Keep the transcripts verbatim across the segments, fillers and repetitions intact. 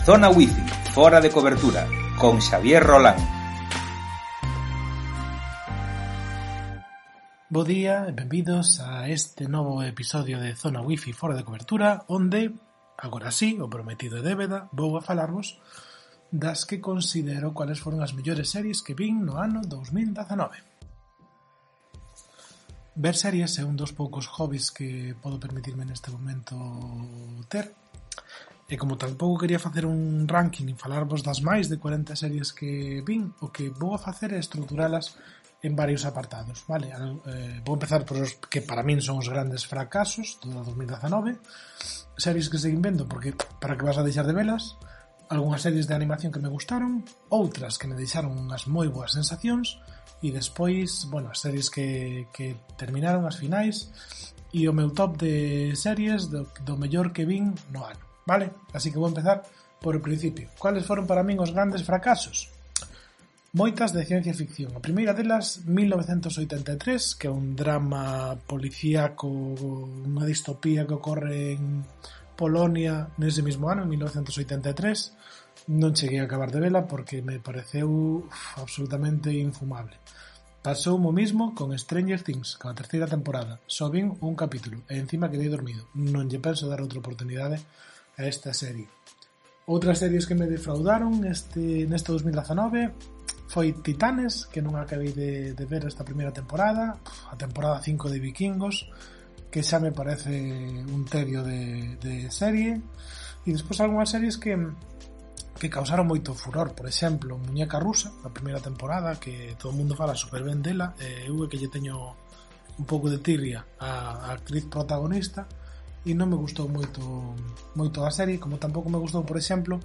Zona Wifi, fora de cobertura, con Xavier Rolán. Bo día e benvidos a este novo episodio de Zona Wifi fora de cobertura, onde, agora sí, o prometido é débeda, vou a falarvos das que considero cuáles foron as mellores series que vin no ano dous mil dezanove. Ver series é un dos poucos hobbies que podo permitirme neste momento ter, e como tampouco quería facer un ranking e falarvos das máis de cuarenta series que vin, o que vou a facer é estruturalas en varios apartados, vale? Eh, vou empezar por os que para min son os grandes fracasos do dos mil dezanove, series que seguín vendo porque para que vas a deixar de velas, algunhas series de animación que me gustaron, outras que me deixaron unhas moi boas sensacións, e despois, bueno, as series que, que terminaron as finais, e o meu top de series do, do mellor que vin no ano, vale? Así que vou empezar por o principio. Cuáles foron para min os grandes fracasos? Moitas de ciencia ficción. A primeira delas, mil novecentos oitenta e tres, que é un drama policíaco, unha distopía que ocorre en Polonia nese mismo ano, en mil novecentos oitenta e tres. Non cheguei a acabar de vela porque me pareceu uf, absolutamente infumable. Pasou o mismo con Stranger Things, con a terceira temporada. Só vin un capítulo e encima quedei dormido. Non lle penso dar outra oportunidade a esta serie. Outras series que me defraudaron este, neste dos mil dezanove foi Titanes, que non acabei de, de ver esta primeira temporada, a temporada cinco de Vikingos, que xa me parece un tedio de, de serie, e despois algunhas series que que causaron moito furor, por exemplo, Muñeca Rusa, a primeira temporada, que todo o mundo fala super ben dela, e eu é que lle teño un pouco de tirria a, a actriz protagonista, e non me gustou moito moito a serie, como tampouco me gustou, por exemplo,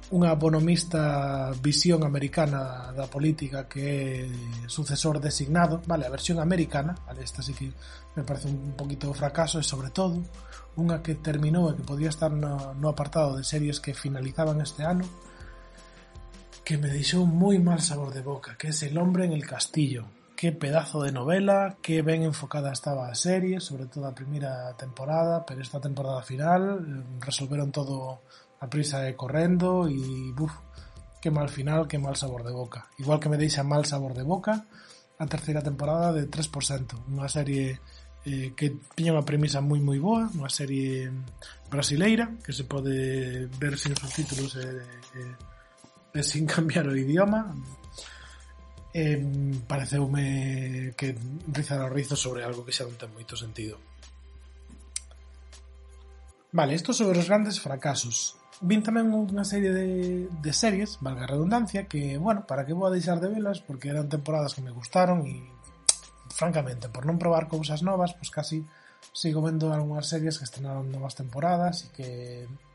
unha bonomista visión americana da política que é sucesor designado, vale, a versión americana, vale, esta sí que me parece un poquito fracaso, e sobre todo unha que terminou e que podía estar no, no apartado de series que finalizaban este ano, que me deixou moi mal sabor de boca, que é El hombre en el castillo. Que pedazo de novela, que ben enfocada estaba a serie, sobre todo a primeira temporada, pero esta temporada final resolveron todo a prisa e correndo, e buf, que mal final, que mal sabor de boca. Igual que me deixa mal sabor de boca a terceira temporada de tres por ciento, unha serie eh, que tiña unha premisa moi moi boa, unha serie brasileira que se pode ver sin subtítulos e, e, e sin cambiar o idioma. Eh, pareceume que rizar o rizo sobre algo que xa non ten moito sentido. Vale, isto sobre os grandes fracasos. Vin tamén unha serie de, de series, valga a redundancia, que, bueno, para que vou a deixar de velas, porque eran temporadas que me gustaron e, francamente, por non probar cousas novas, pois casi sigo vendo algunhas series que estrenaron novas temporadas e que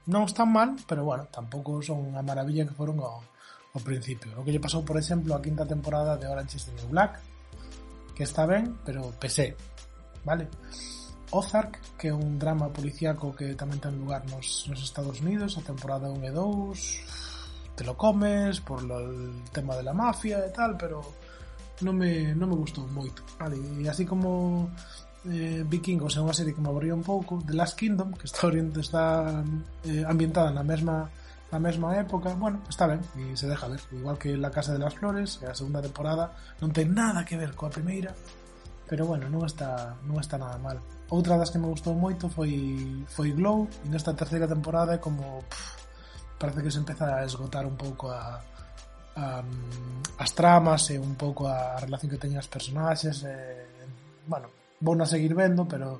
non están mal, pero, bueno, tampouco son a maravilla que foron ao ao principio. O que lle pasou, por exemplo, a quinta temporada de Orange is the New Black, que está ben, pero pesé, vale? Ozark, que é un drama policíaco que tamén ten lugar nos, nos Estados Unidos, a temporada un e dous, te lo comes por lo, el tema de la mafia e tal, pero non me, non me gustou moito, vale? E así como eh, Vikingos é unha serie que me aburriu un pouco, The Last Kingdom, que está, está eh, ambientada na mesma na mesma época, bueno, está ben e se deja ver, igual que La Casa de las Flores, que a segunda temporada non ten nada que ver coa primeira, pero bueno, non está non está nada mal. Outra das que me gustou moito foi foi Glow, e nesta terceira temporada é como pff, parece que se empeza a esgotar un pouco a, a as tramas e un pouco a relación que teñen as personaxes, e, bueno, vou na seguir vendo, pero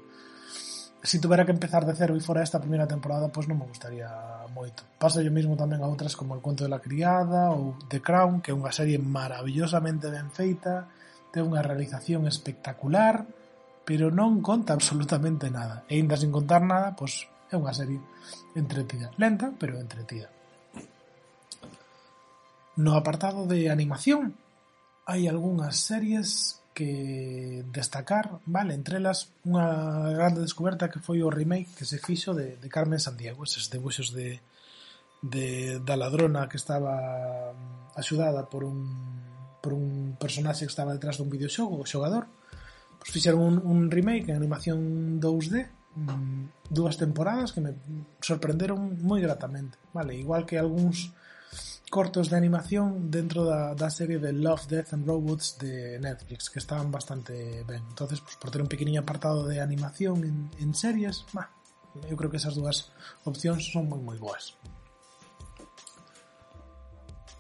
se si tuvera que empezar de cero e fora esta primeira temporada, pois non me gustaría moito. Pasa yo mismo tamén a outras como El Cuento de la Criada ou The Crown, que é unha serie maravillosamente ben feita, ten unha realización espectacular, pero non conta absolutamente nada. E ainda sin contar nada, pois é unha serie entretida. Lenta, pero entretida. No apartado de animación, hai algunhas series que destacar, vale, entre elas unha grande descoberta que foi o remake que se fixo de, de Carmen Sandiego, eses debuxos de, de da ladrona que estaba axudada por un por un personaxe que estaba detrás dun videoxogo, o xogador, pois fixeron un, un remake en animación dous D mm, dúas temporadas que me sorprenderon moi gratamente, vale, igual que algúns cortos de animación dentro da, da serie de Love, Death and Robots de Netflix, que estaban bastante ben. Entonces, pues, por ter un pequeniño apartado de animación en, en series, bah, eu creo que esas dúas opcións son moi moi boas.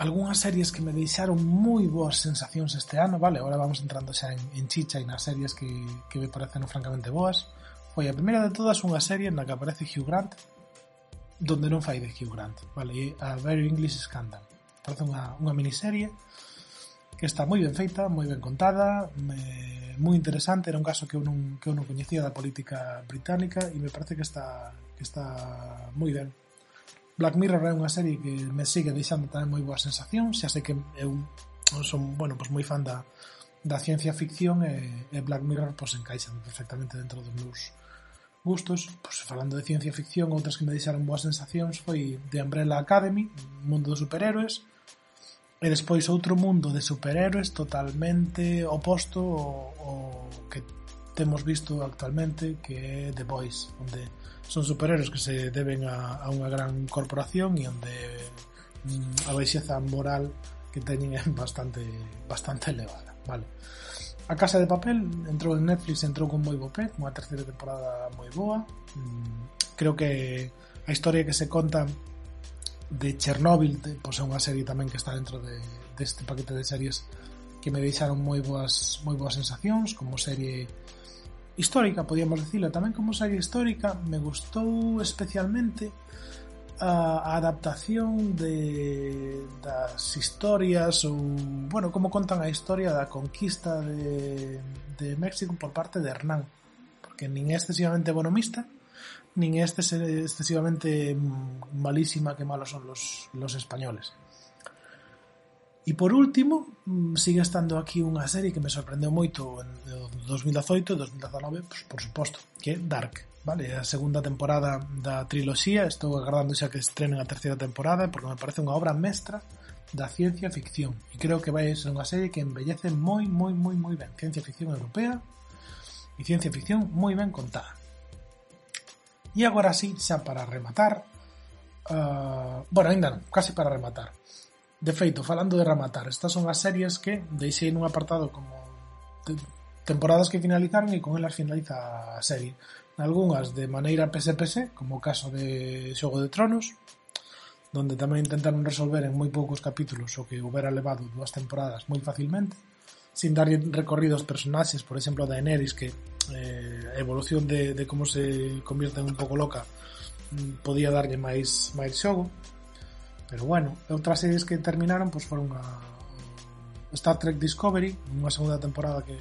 Algúnas series que me deixaron moi boas sensacións este ano, vale, agora vamos entrando xa en, en chicha e nas series que, que me parecen francamente boas. Foi a primeira de todas unha serie na que aparece Hugh Grant, donde non fai de Hugh Grant, vale, a Very English Scandal. Parece unha, unha miniserie que está moi ben feita, moi ben contada, me, moi interesante, era un caso que eu non, que eu non coñecía da política británica e me parece que está, que está moi ben. Black Mirror é unha serie que me sigue deixando tamén moi boas sensacións, xa sei que eu son, bueno, pues moi fan da, da ciencia ficción e, e Black Mirror pues encaixa perfectamente dentro dos meus gustos. Pues, falando de ciencia ficción, outras que me deixaron boas sensacións foi The Umbrella Academy, mundo dos superhéroes, e despois outro mundo de superhéroes totalmente oposto ao, ao que temos visto actualmente, que é The Boys, onde son superhéroes que se deben a, a unha gran corporación e onde mm, a baixeza moral que teñen é bastante bastante elevada, vale. A Casa de Papel entrou en Netflix, entrou con moi bo pé, unha terceira temporada moi boa. Creo que a historia que se conta de Chernobyl, pois é unha serie tamén que está dentro de, deste paquete de series que me deixaron moi boas moi boas sensacións, como serie histórica, podíamos dicirlo, tamén como serie histórica. Me gustou especialmente a adaptación de das historias ou, bueno, como contan a historia da conquista de, de México por parte de Hernán, porque nin é excesivamente bonomista nin é excesivamente malísima que malos son los, los españoles. E por último, sigue estando aquí unha serie que me sorprendeu moito en dos mil dezoito e dos mil dezanove, pues, por suposto, que é Dark, vale, a segunda temporada da triloxía. Estou agardando xa que estrenen a terceira temporada porque me parece unha obra mestra da ciencia ficción e creo que vai ser unha serie que embellece moi, moi, moi, moi ben. Ciencia ficción europea e ciencia ficción moi ben contada. E agora sí, xa para rematar, uh, bueno, ainda non, casi para rematar. De feito, falando de rematar, estas son as series que deixei nun apartado como te- temporadas que finalizaron e con elas finaliza a serie. Algúnas de maneira P S P S, como o caso de Xogo de Tronos, donde tamén intentaron resolver en moi poucos capítulos o que houbera levado dúas temporadas moi facilmente, sin dar recorrido aos personaxes, por exemplo, a Daenerys, que eh, a evolución de, de como se convierte en un pouco loca podía darlle máis, máis xogo. Pero bueno, outras series que terminaron pues foron a Star Trek Discovery, unha segunda temporada que,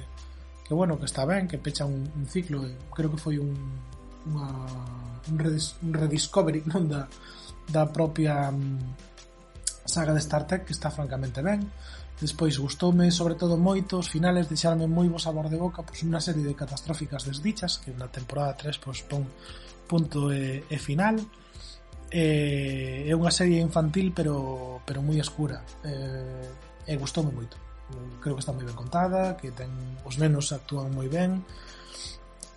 que bueno, que está ben, que pecha un, un ciclo, creo que foi un unha, un, redis, un rediscovery, non da, da propia um, saga de Star Trek, que está francamente ben. Despois gustoume sobre todo moito os finales, deixarme moi bo sabor de boca, pois unha serie de catastróficas desdichas que na temporada tres pois pon punto e, e final. Eh, é unha serie infantil pero pero moi escura, eh, e gustoume moito. Creo que está moi ben contada, que ten os nenos actúan moi ben,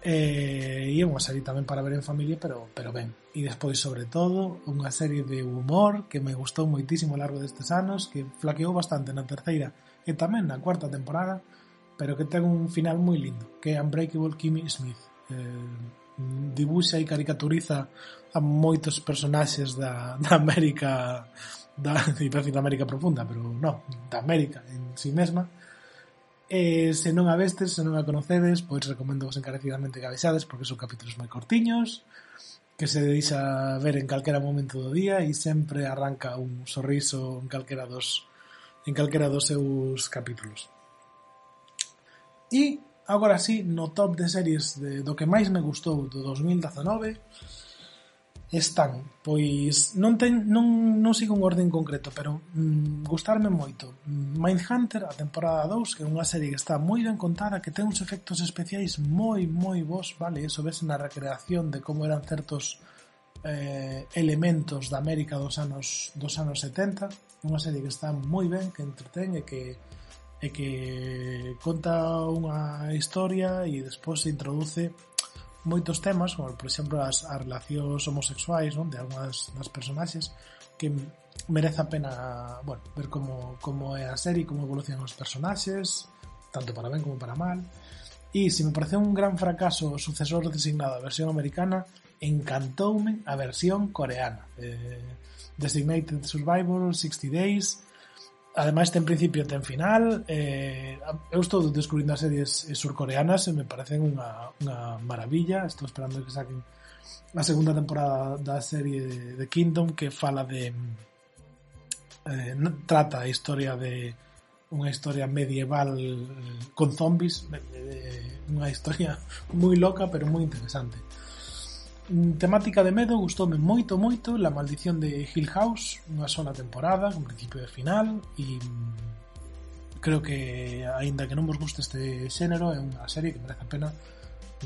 eh, e é unha serie tamén para ver en familia, pero pero ben. E despois, sobre todo, unha serie de humor que me gustou moitísimo ao largo destes anos, que flaqueou bastante na terceira e tamén na cuarta temporada, pero que ten un final moi lindo, que é Unbreakable Kimmy Smith. Eh, dibuxa e caricaturiza a moitos personaxes da, da América da, da América profunda, pero non, da América en si mesma. E se non a vestes, se non a conocedes, pois recomendo vos encarecidamente que a vexades, porque son capítulos moi cortiños, que se deixa ver en calquera momento do día e sempre arranca un sorriso en calquera dos en calquera dos seus capítulos. E agora sí, no top de series de, do que máis me gustou do dos mil dezanove están, pois non ten, non, non sigo un orden concreto, pero mm, gustarme moito Mindhunter, a temporada dous, que é unha serie que está moi ben contada, que ten uns efectos especiais moi, moi bons, vale, eso ves na recreación de como eran certos eh, elementos da América dos anos dos anos setenta, unha serie que está moi ben, que entretén e que e que conta unha historia e despois se introduce moitos temas, como por exemplo as, as relacións homosexuais, non? De algunhas das personaxes, que merece a pena, bueno, ver como, como é a serie, como evolucionan os personaxes, tanto para ben como para mal. E se me pareceu un gran fracaso o sucesor designado a versión americana, encantoume a versión coreana. Eh, Designated Survivor, sixty days. Ademais ten principio e ten final. eh, Eu estou descubrindo as series surcoreanas e me parecen unha, unha maravilla. Estou esperando que saquen a segunda temporada da serie de Kingdom, que fala de eh, trata a historia de unha historia medieval con zombies, unha historia moi loca pero moi interesante. Temática de medo, gustoume moito, moito La Maldición de Hill House, unha sola temporada, con principio e final, e creo que, aínda que non vos guste este xénero, é unha serie que merece a pena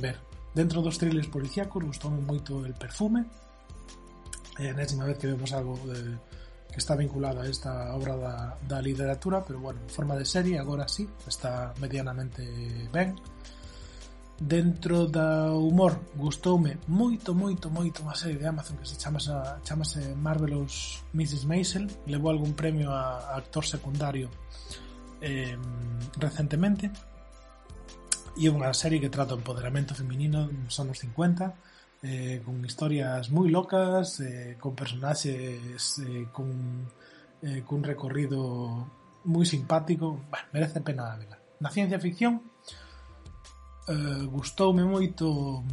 ver. Dentro dos thrillers policíacos, gustoume moito El Perfume, é a enésima vez que vemos algo de, que está vinculado a esta obra da, da literatura, pero bueno, en forma de serie, agora sí, está medianamente ben. Dentro do humor, gustoume moito, moito, moito unha serie de Amazon que se chamase, chamase Marvelous missus Maisel. Levou algún premio a, a actor secundario eh, recentemente, e é unha serie que trata o empoderamento feminino nos anos cincuenta, eh, con historias moi locas, eh, con personaxes eh, con, eh, con recorrido moi simpático. Bueno, merece pena verla. Na ciencia ficción, Uh, gustoume moito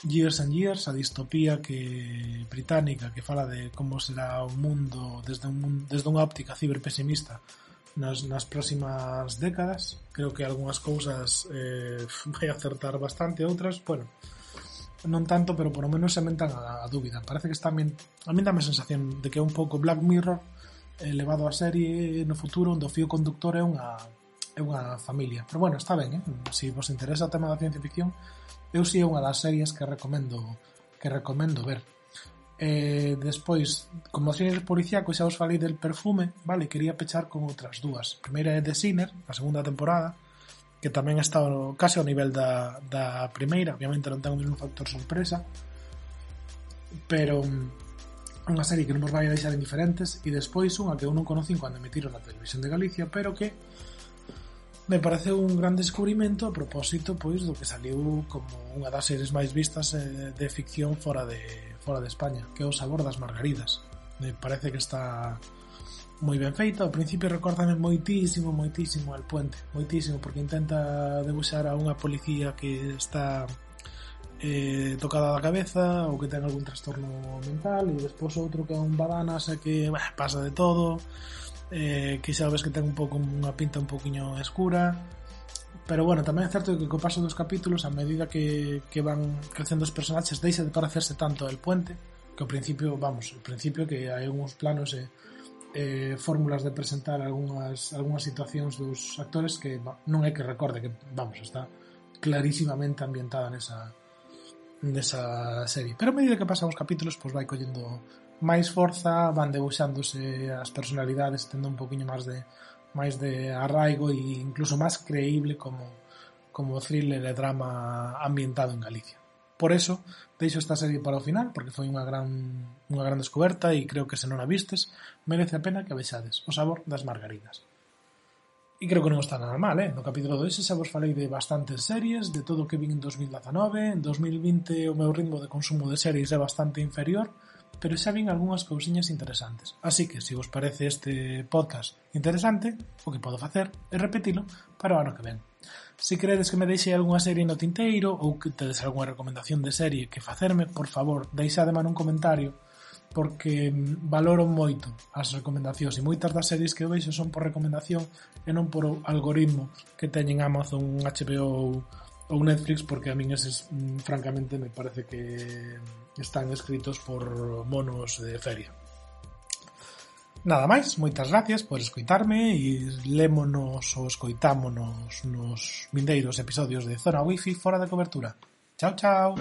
Years and Years, a distopía que británica que fala de como será o mundo desde, un, desde unha óptica ciberpesimista nas, nas próximas décadas. Creo que algunhas cousas eh, vai acertar bastante, outras, bueno, non tanto, pero por lo menos se mentan a, a dúbida. Parece que está a min, a min dame a sensación de que é un pouco Black Mirror elevado a serie no futuro, onde o fío conductor é unha é unha familia. Pero bueno, está ben, eh? Se vos interesa o tema da ciencia ficción, eu si é unha das series que recomendo que recomendo ver. Eh, despois, como series policíacos, xa os falei del Perfume, vale, quería pechar con outras dúas. A primeira é The Sinner, a segunda temporada, que tamén está case ao nivel da, da primeira. Obviamente non ten o mesmo factor sorpresa, pero unha serie que non vos vai a deixar indiferentes. E despois unha que eu non conocín cando emitiron na televisión de Galicia, pero que me pareceu un gran descubrimento a propósito, pois, do que saliu como unha das series máis vistas eh, de ficción fora de fora de España, que é O sabor das margaridas. Me parece que está moi ben feita. Ao principio recórdame moitísimo, moitísimo El Puente, moitísimo, porque intenta debuxar a unha policía que está eh, tocada da cabeza ou que ten algún trastorno mental, e despois outro que é un badanas e que bah, pasa de todo. Eh, que xa ves que ten un pouco unha pinta un pouquiño escura, pero bueno, tamén é certo que co paso dos capítulos, a medida que, que van crecendo os personaxes, deixa de parecerse tanto El Puente, que ao principio, vamos, ao principio que hai uns planos e eh, fórmulas de presentar algunhas, algunhas situacións dos actores que non é que recorde que, vamos, está clarísimamente ambientada nesa nesa serie, pero a medida que pasan os capítulos, pois vai collendo máis forza, van debuxándose as personalidades, tendo un poquinho máis de máis de arraigo e incluso máis creíble como, como thriller e drama ambientado en Galicia. Por eso, deixo esta serie para o final, porque foi unha gran unha gran descoberta e creo que se non a vistes, merece a pena que a vexades. O sabor das margaridas. E creo que non está nada mal, eh? No capítulo dois xa vos falei de bastantes series, de todo o que vin en dos mil dezanove. En dos mil vinte o meu ritmo de consumo de series é bastante inferior, pero xa vin algunhas cousiñas interesantes. Así que, se vos parece este podcast interesante, o que podo facer é repetilo para o ano que ven. Se queredes que me deixe algunha serie no tinteiro ou que tedes algunha recomendación de serie que facerme, por favor, deixademe nun comentario, porque valoro moito as recomendacións e moitas das series que eu veixo son por recomendación e non por algoritmo que teñen Amazon, H B O ou Netflix, porque a min eses francamente me parece que están escritos por monos de feria. Nada máis, moitas gracias por escoitarme e lémonos ou escoitámonos nos vindeiros episodios de Zona Wifi fora de cobertura. Chao, chao.